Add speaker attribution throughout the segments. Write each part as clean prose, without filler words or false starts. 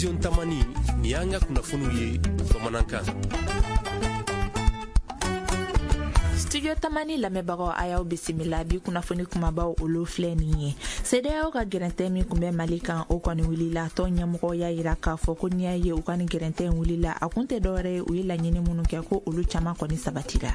Speaker 1: Studio Tamani, nin y'an ka kunnafoniw ye bamanankan.
Speaker 2: Studio Tamani lamɛnbagaw, a y'aw bisimila. Bi kunnafoni kumabaw, olu filɛ nin ye. CEDEAO ka gɛrɛntɛ min kun bɛ Mali kan, o kɔni wulila. Tɔn ɲɛmɔgɔ y'a yira k'a fɔ ko n'i y'a ye u ka nin gɛrɛntɛ in wulila, a kun tɛ dɔwɛrɛ ye, u ye laɲini minnu kɛ, ko olu caman kɔni sabatira.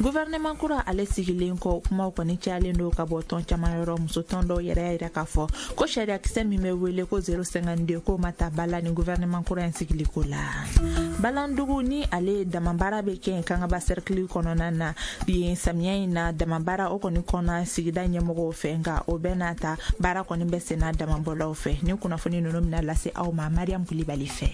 Speaker 2: Gouvernement kura ale sigilen kɔ, kumaw kɔni cayalen don ka bɔ tɔn caman yɔrɔ. Musotɔn dɔw yɛrɛ y'a yira k'a fɔ ko sariyakisɛ min bɛ wele ko 052, k'o ma ta ba la ni gouvernement kura in sigiliko la. Balandugu ni ale damabaara bɛ kɛ yen Kangaba cercle kɔnɔna na yen, samiya in na damabaara o kɔni kɔnna sigida ɲɛmɔgɔw fɛ, nka o bɛɛ n'a ta, baara kɔni bɛ senna damabɔlaw fɛ. Ni kunnafoni ninnu bɛna lase aw ma Mariam Kulibali fɛ.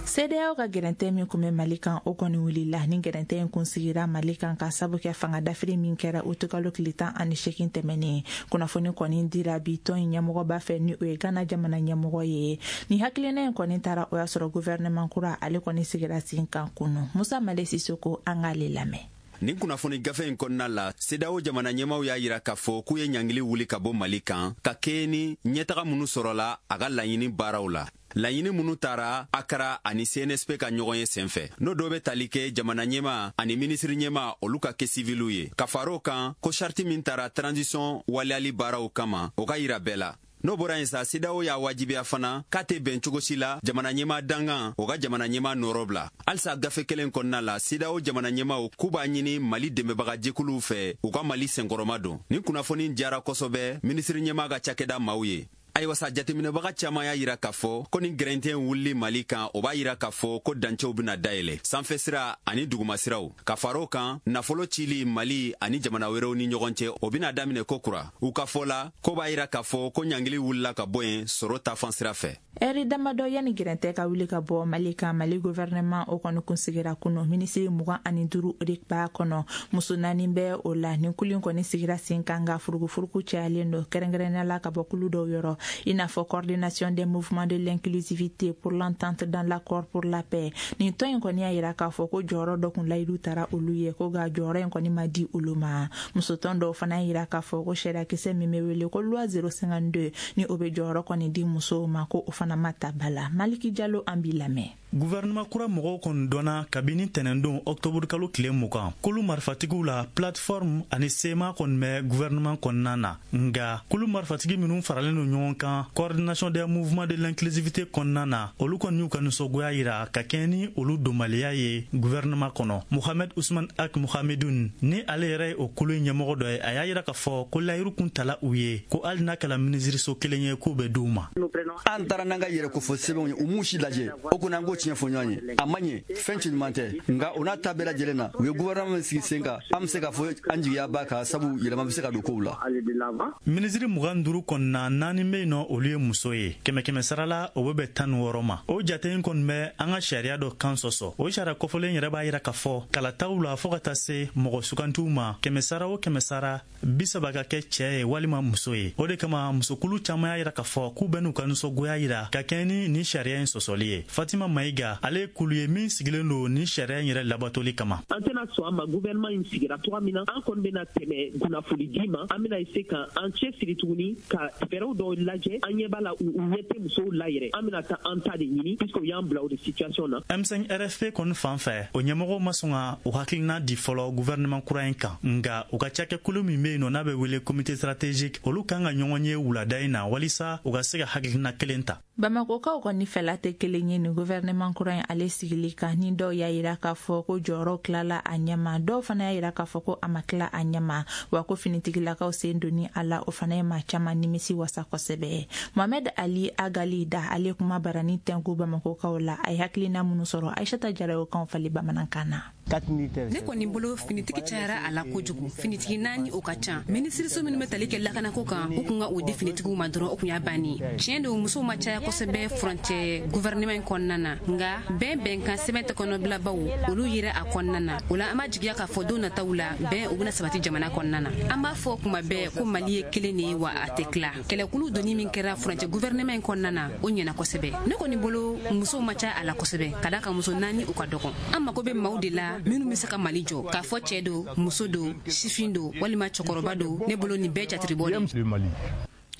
Speaker 2: CEDEAO ka gɛrɛntɛ min kun bɛ Mali kan, o kɔni wulila. Ni gɛrɛntɛ in kun sigira Mali kan ka sabu kɛ fanga dafiri min kɛra utukalo tile 18 tɛmɛnen. Kunnafoni kɔni dira bi tɔn in ɲɛmɔgɔba fɛ, ni o ye Gana jamana ɲɛmɔgɔ ye. Ni hakilina in kɔni taara, o y'a sɔrɔ gouvernement kura ale kɔni sigira sen kan kunu. Musa Male Sisoko, an k'ale lamɛn.
Speaker 3: Nin kunnafoni gafe in kɔnɔna la, CEDEAO jamana ɲɛmaw y'a yira k'a fɔ k'u ye ɲangili wuli ka bɔ Mali kan ka kɛɲɛ ni ɲɛtaga minnu sɔrɔla a ka laɲini baaraw la, laɲini minnu taara Akara ani CNSP ka ɲɔgɔn ye senfɛ, n'o dɔ bɛ tali kɛ jamana ɲɛma ani minisiri ɲɛma, olu ka kɛ siviliw ye, ka far'o kan ko sariti min tara transition waleyali baaraw kama, o ka yira bɛɛ la. N'o bɔra yen sa, CEDEAO y'a wajibiya fana k'a tɛ bɛn cogo si la jamana ɲɛma dangan o ka jamana ɲɛma nɔrɔ bila. Halisa gafe kelen kɔnɔna la, CEDEAO jamana ɲɛmaw k'u b'a ɲini Mali dɛmɛbagajɛkuluw fɛ, u ka Mali senkɔrɔma don. Nin kunnafoni diyara kosɛbɛ minisiri ɲɛma ka cakɛda maaw ye. Ayiwa sa, jateminɛbaga caaman y'a yira k'a fɔ ko nin gɛrɛntɛ wulili Mali kan, o b'a yira k'a fɔ ko dancɛw bena dayɛlɛ, sanfɛ sira ani dugumasiraw. Ka far'o kan, nafolo cili Mali ani jamana wɛrɛw ni ɲɔgɔn cɛ, o bena daminɛ ko kura. U ka fɔ la, ko b'a yira k'a fɔ ko ɲangili wulila ka bɔ yen sɔrɔ tafan sira fɛ.
Speaker 2: Ɛri damadɔ yanni gɛrɛntɛ ka wuli ka bɔ Mali kan, Mali gouvernement o kɔni kun sigira kunu. Minisiri 25 o de b'a kɔnɔ, muso naani bɛ o la. Nin kulu kɔni sigira sen kan, nka furugufurugu cayalen don, kɛrɛnkɛrɛnnenya la ka bɔ kulu dɔw yɔrɔ, i n'a fɔ Coordination des mouvements de l'inclusivité pour l'entente dans l'accord pour la paix. Nin tɔn in kɔni y'a yira k'a fɔ ko jɔyɔrɔ dɔ kun layidu tara olu ye, ko nka jɔyɔrɔ in kɔni ma di olu ma. Musotɔn dɔw fana y'a yira k'a fɔ ko sariyakisɛ min bɛ wele ko loi 052, ni o bɛ jɔyɔrɔ kɔni di musow ma, ko o fana ma ta ba la. Maliki Jalo, an b'i lamɛn.
Speaker 4: Guvɛrɛnɛma kura mɔgɔw kɔni dɔnna kabini tɛnɛndon ɔktɔburu kalo tile 20. Kulu marifatigiw la Plateforme ani CMA kɔni bɛ guvɛrɛnɛman kɔnɔna na, nga kulu marifatigi minw faralen don ɲɔgɔn kan Coordination des mouvements de l'inclusivité kɔnɔna na, olu kɔni y'u ka nisɔngoya yira ka kɛɲɛ ni olu donbaliya ye guvɛrɛnɛman kɔnɔ. Mohamed Usman Ag Mohamedun, ni ale yɛrɛ ye o kulu ɲɛmɔgɔ dɔ ye, a y'a yira k'a fɔ ko layiru kun tala u ye ko hali n'a kɛla minisiriso kelen ye, k'u bɛ d'u ma.
Speaker 5: An taara n'an ka yɛrɛkofɔ sɛbɛnw ye, u m'u si lajɛ. O kɔni, an k'o tiɲɛ fɔ ɲɔgɔn ye, a ma ɲɛ, fɛn cɛ ɲuman tɛ. Nka o n'a ta bɛɛ lajɛlen na, u ye gouvernement min sigi sen kan, an bɛ se k'a fɔ an jigiya b'a kan, sabu yɛlɛma bɛ se ka don kow la.
Speaker 4: Minisiri 25 kɔnɔna, naani bɛ yen nɔ, olu ye muso ye. Kɛmɛ kɛmɛ sara la, o bɛ bɛn 16 ma. O jate in kɔni bɛ an ka sariya dɔ kan sɔsɔ. O sariya kɔfɔlen yɛrɛ b'a yira k'a fɔ kalataw la, fɔɔ ka taa se mɔgɔ sugantiw ma, kɛmɛ sara o kɛmɛ sara, 30 ka kɛ cɛɛ ye walima muso ye. O de kama musokulu caaman y'a yira k'a fɔ k'u bɛ n'u ka nisɔngoya yira ka kɛɲɛ ni nin sariya in sɔsɔli ye. Fatima Mayiga, ale ye kulu ye min sigilen don nin sariya in yɛrɛ labatoli kama.
Speaker 6: An tɛna sɔn a ma. Gouvernement in sigira cogoya min na, an kɔni bɛna tɛmɛ kunnafoni di ma. An bɛna se ka an cɛ siri tuguni ka fɛɛrɛw dɔw lajɛ. An ɲɛ b'a la, u ɲɛ tɛ musow la yɛrɛ. An bɛna taa an ta de ɲini, puisque u y'an bila o de situation na.
Speaker 4: M5 RFP kɔni fan fɛ, o ɲɛmɔgɔw ma sɔn ka o hakilina di fɔlɔ gouvernement kura in kan, nga u ka cakɛkulu min bɛ yen nɔ, n'a bɛ wele comité stratégique, olu kan ka ɲɔgɔn ye wulada in na walisa u ka se ka hakilina kelen ta.
Speaker 2: Bamakokaw kɔni fɛla tɛ kelen ye nin gouvernement kura in ale sigili kan. Ni dɔw y'a yira k'a fɔ ko jɔyɔrɔ tilala a ɲɛma, dɔw fana y'a yira k'a fɔ ko a ma tila a ɲɛma, wa ko finitigilakaw sen donni a la, o fana ye maa caman nimisi wasa kosɛbɛ. Mohamed Ali Agali da, ale kuma barani tɛnku Bamakokaw la, a ye hakilina minnu sɔrɔ, Aishata Jara y'o kan fali bamanankan na.
Speaker 7: Ne kɔni bolo, finitigi cayara a la kojugu. Finitigi naani, o ka ca. Minisiriso minnu bɛ tali kɛ lakanako kan, u kun ka o di finitigiw ma dɔrɔn, o kun y'a banni. Tiɲɛ don, musow ma caya kosɛbɛ furancɛ gouvernement in kɔnɔna na, nka bɛn bɛnkan sɛbɛn tɛ kɔnɔbilabaw, olu yera a kɔnɔna na. O la, an b'a jigiya k'a fɔ don nataw la, bɛn o bɛna sabati jamana kɔnɔna na. An b'a fɔ kuma bɛɛ ko Mali ye kelen de ye, wa a tɛ tila. Kɛlɛkulu donni min kɛra furancɛ gouvernement in kɔnɔna na, o ɲɛna kosɛbɛ. Ne kɔni bolo, musow ma caya a la kosɛbɛ, ka da kan muso naani, o ka dɔgɔn. An mago bɛ maaw de la minnu bɛ se ka Mali jɔ, k'a fɔ cɛɛ don, muso don, sifin don walima cɛkɔrɔba don. Ne bolo, nin bɛɛ jatiribɔ de.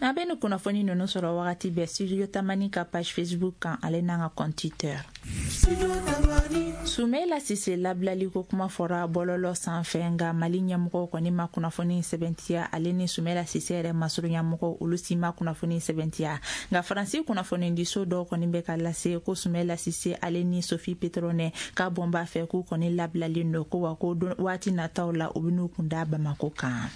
Speaker 2: An bɛ ni kunnafoni ninnu sɔrɔ wagati bɛɛ Studio Tamani ka page Facebook kan, ale n'an ka compte Twitter. Soumaïla Cissé labilali ko kuma fɔra bɔlɔlɔ sanfɛ, nka Mali ɲɛmɔgɔw kɔni ma kunnafoni sɛbɛntiya. Ale ni Soumaïla Cissé yɛrɛ masurunya mɔgɔw, olu si ma kunnafoni sɛbɛntiya. Nka Faransi kunnafonidiso dɔw kɔni bɛ ka lase ko Soumaïla Cissé, ale ni Sophie Pétronin k'a bɔn b'a fɛ, k'u kɔni labilalen don, ko wa ko waati nataw la, u bɛn'u kun da Bamako kan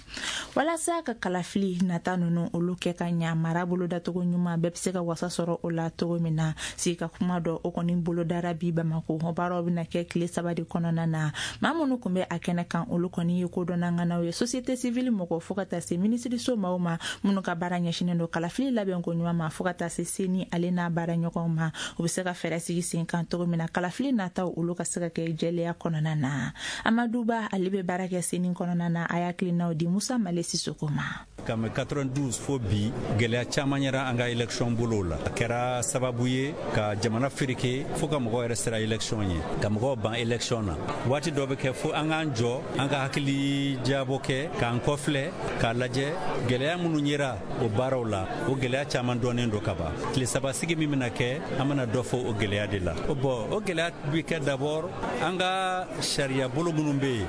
Speaker 2: walasa ka kalafili nata ninnu olu kɛ ka ɲa, mara bolodacogo ɲuman, bɛɛ bɛ se ka wasa sɔrɔ o la cogo min na. Sigi ka kuma dɔ, o kɔni bolodara bi Bamako. O baaraw bɛna kɛ tile 3 de kɔnɔna na. Maa minnu tun bɛ a kɛnɛ kan, olu kɔni ye kodɔnnaŋanaw ye, société civile mɔgɔ, fo ka taa se minisiriso maaw ma minnu ka baara ɲɛsinnen don kalafili labɛnko ɲuman ma, fo ka taa se CENI ale n'a baara ɲɔgɔnw ma, u bɛ se ka fɛɛrɛ sigi sen kan cogo min na, kalafili nataw olu ka se ka kɛ jɛlenya kɔnɔna na. Amaduba, ale bɛ baara kɛ CENI kɔnɔna na, a y'a hakilinaw di Musa Male Sisoko ma.
Speaker 8: Kabini 92 fo bi, gɛlɛya caman yɛrɛ an ka élection bolow la. A kɛra sababu ye ka jamana fereke, fo ka mɔgɔw yɛrɛ sira élection ye, ka mɔgɔw ban élection na. Waati dɔ bɛ kɛ fo an k'an jɔ, an ka hakili jabɔ kɛ, k'an kɔfilɛ, k'a lajɛ gɛlɛya minnu yera o baaraw la. O gɛlɛya caman dɔnnen don ka ban. Tile 3 sigi min bɛna kɛ, an bɛna dɔ fɔ o gɛlɛya de la. Bon, o gɛlɛya bɛ kɛ d'abord an ka sariya bolo minnu bɛ yen,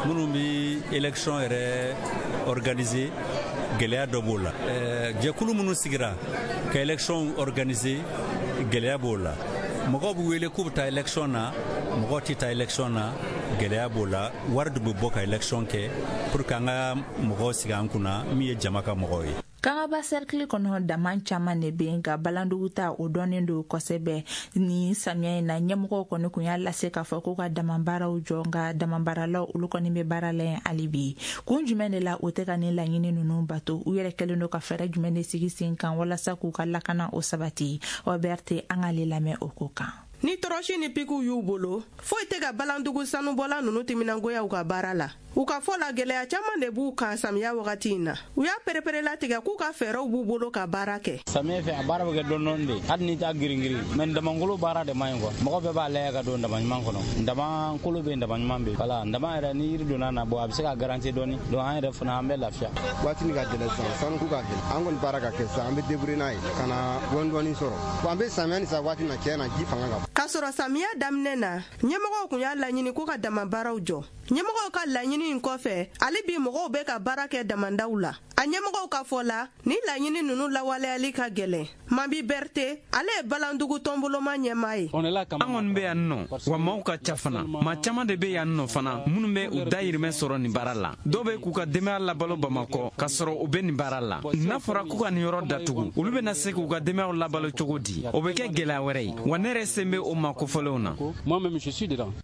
Speaker 8: minnu bɛ élection yɛrɛ organiser, gɛlɛya dɔ b'o la. Jɛkulu minnu sigira ka élection organiser, gɛlɛya b'o la. Mɔgɔw bɛ wele k'u bɛ taa élection na, mɔgɔw tɛ taa élection na, gɛlɛya b'o la. Wari de bɛ bɔ ka élection kɛ pour que an ka mɔgɔw sigi an kunna min ye jama ka mɔgɔw ye.
Speaker 2: Kangaba cercle kɔnɔ, daman caman de bɛ yen, nka Balandugu ta, o dɔnnen don kosɛbɛ. Ni samiya in na, ɲɛmɔgɔw kɔni kun y'a lase k'a fɔ k'u ka dama baaraw jɔ, nka dama baaralaw olu kɔni bɛ baara la yen hali bi. Kun jumɛn de la o tɛ ka nin laɲini ninnu bato? U yɛrɛ kɛlen don ka fɛɛrɛ jumɛn de sigi sen kan walasa k'u ka lakana o sabati? Ɔbɛrte, an k'ale lamɛn o ko kan.
Speaker 9: Ni tɔrɔsi ni pikiw y'u bolo, foyi tɛ ka Balandugu sanubɔla ninnu timinangoya u ka baara la. U ka fɔ la, gɛlɛya caman de b'u kan samiya wagati in na. U y'a pereperelatigɛ k'u ka fɛɛrɛw b'u bolo ka baara kɛ.
Speaker 10: Samiya fɛ, a baara bɛ kɛ dɔɔni de, hali n'i t'a girin-girin, mais damangolo baara de man ɲi quoi. Mɔgɔ bɛɛ b'a lajɛ ka don dama ɲuman kɔnɔ. Dama kolo bɛ yen, dama ɲuman bɛ yen. Wala dama yɛrɛ, ni yiri donna na, bon, a bɛ se ka garantir dɔɔni. Donc an yɛrɛ fana, an bɛ lafiya.
Speaker 11: Waati min ka gɛlɛn sisan, sanuko ka gɛlɛn. An kɔni baara ka kɛ sisan, an bɛ débrouiller n'a ye ka na dɔɔni dɔɔni sɔrɔ. Bon, an bɛ samiya ni sa waati min na, tiɲɛ na, ji fanga ka bon.
Speaker 9: K'a sɔrɔ samiya daminɛ na, ɲɛmɔgɔw kun y'a laɲini ko ka dama baaraw jɔ. Ɲɛmɔgɔw ka laɲini in kɔfɛ, hali bi mɔgɔw bɛ ka baara kɛ damandaw la. A ɲɛmɔgɔw ka fɔ la, ni laɲini ninnu lawaleyali ka gɛlɛn. Mabi Berte, ale ye Balandugu tɔnboloma ɲɛmaa ye.
Speaker 12: An kɔni bɛ yan nɔ wa, maaw ka ca fana. Maa caman de bɛ yan nɔ fana minnu bɛ u dayirimɛ sɔrɔ nin baara la. Dɔw bɛ k'u ka denbaya labalo Bamakɔ ka sɔrɔ u bɛ nin baara la. N'a fɔra k'u ka nin yɔrɔ datugu, olu bɛna se k'u ka denbayaw labalo cogo di? O bɛ kɛ gɛlɛya wɛrɛ ye wa. Ne yɛrɛ sen bɛ o maa kofɔlenw na.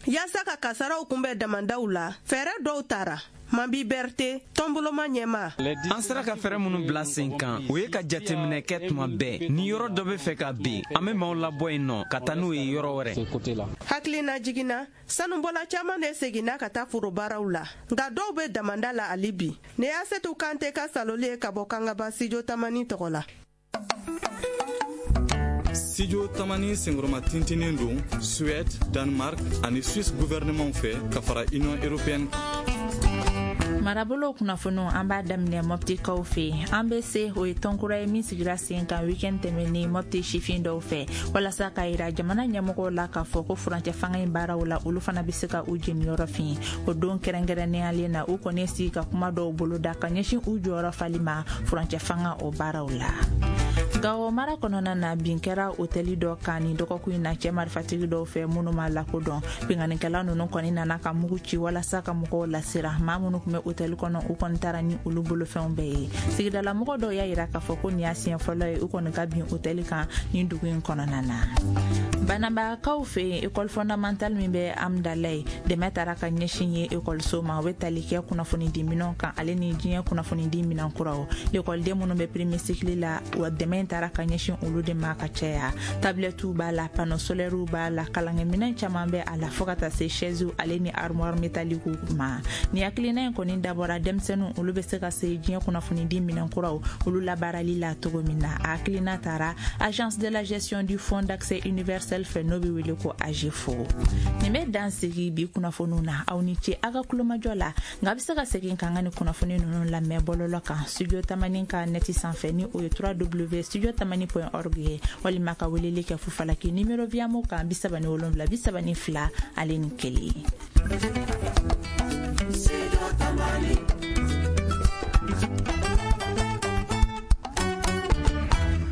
Speaker 9: Yaasa ka kasaraw kunbɛn damandaw la, fɛɛrɛ dɔw tara. Mabi Berte, tɔnboloma ɲɛmaa.
Speaker 12: An sera ka fɛɛrɛ minnu bila sen kan, o ye ka jateminɛ kɛ tuma bɛɛ. Ni yɔrɔ dɔ bɛ fɛ ka bin, an bɛ maaw labɔ yen nɔ ka taa n'u ye yɔrɔ wɛrɛ.
Speaker 9: Hakilina jiginna, sanubɔla caman de seginna ka taa forobaaraw la, nka dɔw bɛ damanda la hali bi. Ne y'a Setu Kante ka saloli ye ka bɔ Kangaba, Studio Tamani tɔgɔ la.
Speaker 13: Studio Tamani senkɔrɔma tintinin don Suède, Danemark ani Suisse gouvernement fɛ, ka fara Union européenne kan.
Speaker 2: Marabolo kunnafoniw, an b'a daminɛ Mɔptikaw fɛ yen. An bɛ se, o ye tɔnkura ye min sigira sen kan weekend tɛmɛnen Mɔpti sifin dɔw fɛ, walasa k'a yira jamana ɲɛmɔgɔw la k'a fɔ ko furancɛ fanga in baaraw la, olu fana bɛ se ka u jeniyɔrɔ fin. O don kɛrɛnkɛrɛnneyalen na, u kɔni sigi ka kuma dɔw boloda ka ɲɛsin u jɔyɔrɔ fali ma furancɛ fanga o baaraw la. Gawo mara kɔnɔna na, bin kɛra otɛli dɔ kan nin dɔgɔkun in na cɛ marifatigi dɔw fɛ minnu ma lakodɔn. Binkannikɛla ninnu kɔni nana ka mugu ci walasa ka mɔgɔw lasira. Maa minnu tun bɛ otɛli kɔnɔ, u kɔni taara ni olu bolofɛnw bɛɛ ye. Sigidalamɔgɔ dɔw y'a yira k'a fɔ ko nin y'a siɲɛ fɔlɔ ye u kɔni ka bin otɛli kan nin dugu in kɔnɔna na. Banabakaw fɛ yen, école fondamentale min bɛ Amdalaye, dɛmɛ taara ka ɲɛsin ye ekɔliso ma. O bɛ tali kɛ kunnafonidi minɛnw kan, ale ni diɲɛ kunnafonidi minɛn kuraw. Lekɔliden minnu bɛ premier cycle la, wa dɛmɛ in taara ka ɲɛsin olu de ma ka caya. Tablɛtiw b'a la, panneau solairew b'a la, kalankɛminɛn caman bɛ a la, fɔɔ ka taa se chaisew ale ni armoire métallique ma. Nin hakilina in kɔni dabɔra denmisɛnninw olu bɛ se ka se diɲɛ kunnafonidi minɛn kuraw olu labaarali la cogo min na. A hakilina taara Agence de la gestion du fonds d'accès universel fɛ, n'o bɛ wele ko AGEFAU. Nin bɛ dan sigi bi kunnafoniw na. Aw ni ce aw ka kulomajɔ la, nka a bɛ se ka segin k'an ka nin kunnafoni ninnu lamɛn bɔlɔlɔ kan, Studio Tamani ka nɛti sanfɛ, ni o ye 3w studio tamani point org ye, walima ka weleli kɛ fufalaki nimero Viamo kan 77 32 ale ni 1.